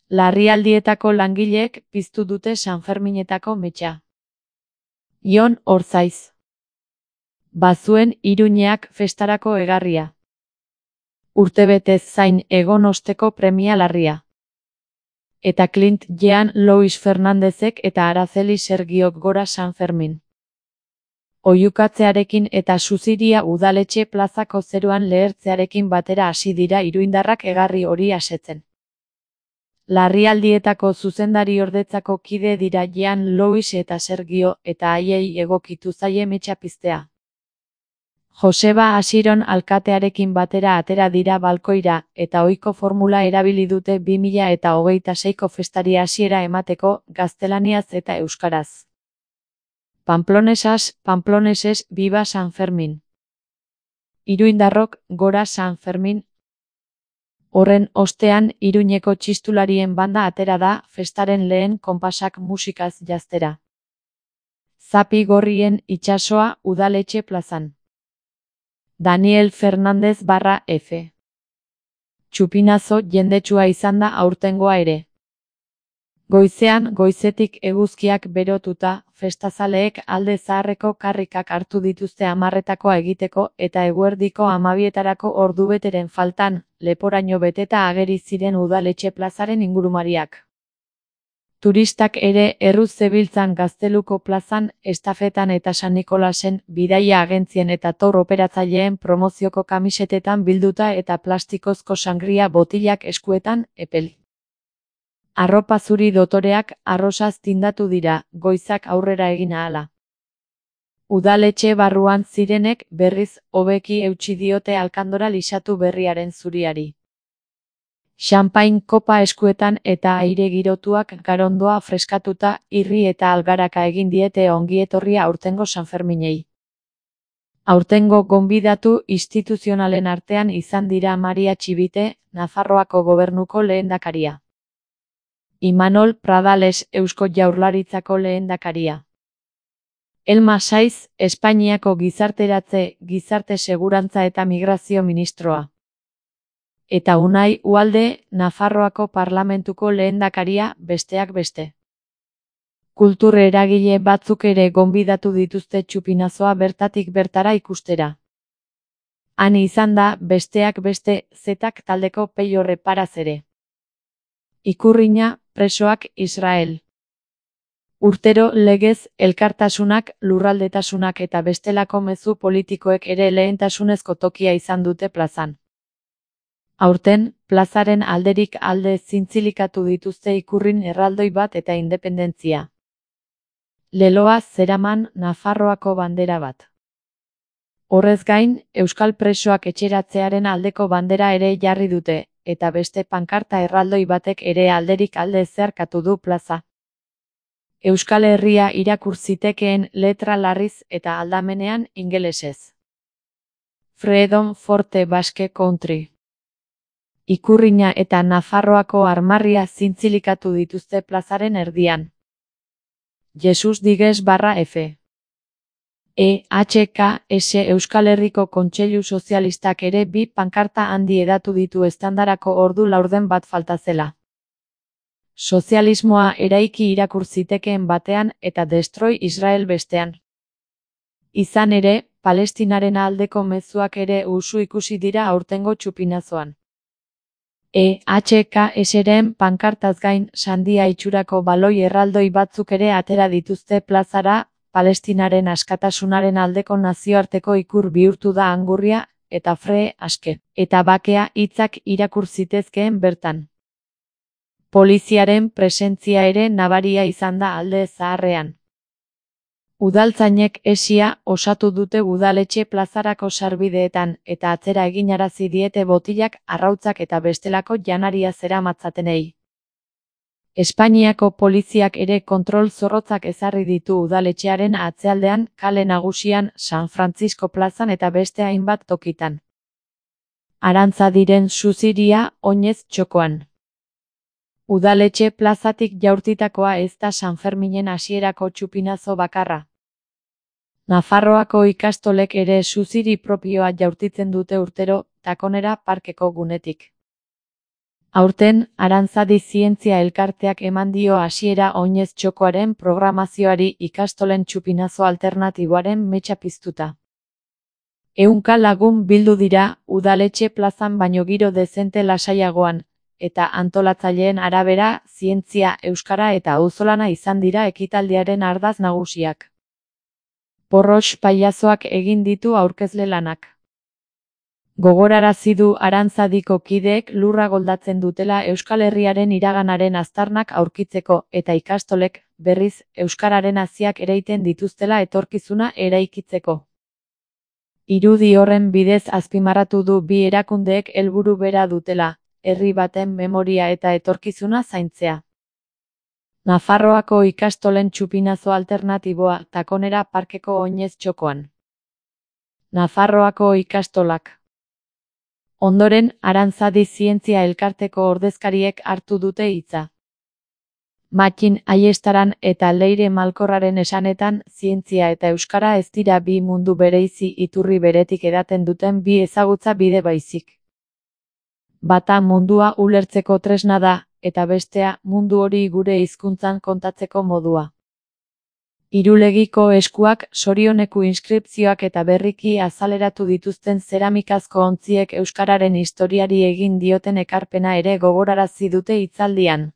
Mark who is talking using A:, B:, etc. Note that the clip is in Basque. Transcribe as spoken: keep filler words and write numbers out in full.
A: Larrialdietako langileek piztu dute Sanferminetako metxa. Jon Orzaiz. Bazuen Iruñeak festarako egarria. Urtebetez zain egon osteko premia larria. Eta Clint Jean Louis Fernandezek eta Araceli Sergiok gora Sanfermin. Oihukatzearekin eta Suziria udaletxe plazako zeruan lehertzearekin batera hasi dira iruindarrak egarri hori asetzen. Larrialdietako zuzendari-ordetzako kide dira Jean Louis eta Sergio, eta haiei egokitu zaie metxa piztea. Joseba Asiron alkatearekin batera atera dira balkoira, eta ohiko formula erabili dute bi mila eta hogeita seiko festari hasiera emateko, gaztelaniaz eta euskaraz. Pamplonesas, pamploneses, viva San Fermin. Iruindarrok, gora San Fermin. Horren ostean, Iruñeko txistularien banda atera da, festaren lehen konpasak musikaz jaztera. Zapi gorrien itsasoa udaletxe plazan. Daniel Fernández barra F. Txupinazo jendetsua izan da aurtengoa ere. Goizean goizetik eguzkiak berotuta, festazaleek alde zaharreko karrikak hartu dituzte hamarretakoa egiteko eta eguerdiko hamabietarako ordubeteren faltan, leporaino beteta ageri ziren udaletxe plazaren ingurumariak. Turistak ere erruz zebiltzan Gazteluko plazan, estafetan eta San Nikolasen, bidaia agentzien eta tour operatzaileen promozioko kamisetetan bilduta eta plastikozko sangria botilak eskuetan, epel. Arropa zuri dotoreak arrosaz tindatu dira, goizak aurrera egin ahala. Udaletxe barruan zirenek berriz hobeki eutsi diote alkandora lisatu berriaren zuriari. Xanpain kopa eskuetan eta aire girotuak garondoa freskatuta, irri eta algaraka egin diete ongietorria aurtengo Sanferminei. Aurtengo gonbidatu instituzionalen artean izan dira Maria Txibite, Nafarroako gobernuko lehendakaria. Imanol Pradales, Eusko Jaurlaritzako lehendakaria. Elma Saiz, Espainiako gizarteratze, gizarte segurantza eta migrazio ministroa. Eta Unai Ualde, Nafarroako parlamentuko lehendakaria, besteak beste. Kultur eragile batzuk ere gonbidatu dituzte txupinazoa bertatik bertara ikustera. Han izan da, besteak beste, zetak taldeko Peiorre Paraz ere. Ikurrina, presoak Israel. Urtero legez, elkartasunak, lurraldetasunak eta bestelako mezu politikoek ere lehentasunezko tokia izan dute plazan. Aurten, plazaren alderik alde zintzilikatu dituzte ikurrin erraldoi bat eta independentzia. Leloa zeraman Nafarroako bandera bat. Horrez gain, euskal presoak etxeratzearen aldeko bandera ere jarri dute, eta beste pankarta erraldoi batek ere alderik alde zeharkatu du plaza. Euskal Herria irakur zitekeen letra larriz eta aldamenean ingelesez. Freedom for the Basque Country. Ikurrina eta Nafarroako armarria zintzilikatu dituzte plazaren erdian. Jesus Digues barra F. E H K S Euskal Herriko Kontseilu Sozialistak ere bi pankarta handi edatu ditu estandarako ordu laurden bat falta zela. Sozialismoa eraiki irakur zitekeen batean eta Destroy Israel bestean. Izan ere, Palestinaren aldeko mezuak ere usu ikusi dira aurtengo txupinazoan. E H K S-ren pankartaz gain, sandia itxurako baloi erraldoi batzuk ere atera dituzte plazara, Palestinaren askatasunaren aldeko nazioarteko ikur bihurtu da angurria, eta free aske, eta bakea hitzak irakur zitezkeen bertan. Poliziaren presentzia ere nabaria izan da alde zaharrean. Udaltzainek esia osatu dute udaletxe plazarako sarbideetan eta atzera eginarazi diete botilak, arrautzak eta bestelako janaria zeramatzatenei. Espainiako poliziak ere kontrol zorrotzak ezarri ditu udaletxearen atzealdean, kale nagusian, San Francisco plazan eta beste hainbat tokitan. Arantza diren Suziria, oinez txokoan. Udaletxe plazatik jaurtitakoa ez da Sanferminen hasierako txupinazo bakarra. Nafarroako ikastolek ere Suziri propioa jaurtitzen dute urtero, Takonera parkeko gunetik. Aurten, Arantzadi Zientzia Elkarteak eman dio hasiera oinez txokoaren programazioari ikastolen txupinazo alternatiboaren metxa piztuta. Ehunka lagun bildu dira, udaletxe plazan baino giro dezente lasaiagoan, eta antolatzaileen arabera, zientzia, euskara eta auzolana izan dira ekitaldiaren ardatz nagusiak. Porros pailazoak egin ditu aurkezle lanak. Gogorarazi du Arantzadiko kideek lurra goldatzen dutela Euskal Herriaren iraganaren aztarnak aurkitzeko eta ikastolek, berriz, euskararen haziak ereiten dituztela etorkizuna eraikitzeko. Irudi horren bidez azpimarratu du bi erakundeek helburu bera dutela, herri baten memoria eta etorkizuna zaintzea. Nafarroako ikastolen txupinazo alternatiboa, Takonera parkeko oinez txokoan. Nafarroako ikastolak. Ondoren, Arantzadi Zientzia Elkarteko ordezkariek hartu dute hitza. Mattin Aiestaran eta Leire Malkorraren esanetan, zientzia eta euskara ez dira bi mundu bereizi iturri beretik edaten duten bi ezagutza bide baizik. Bata mundua ulertzeko tresna da, eta bestea mundu hori gure hizkuntzan kontatzeko modua. Irulegiko eskuak, sorioneku inskripzioak eta berriki azaleratu dituzten zeramikazko ontziek euskararen historiari egin dioten ekarpena ere gogorarazi dute hitzaldian.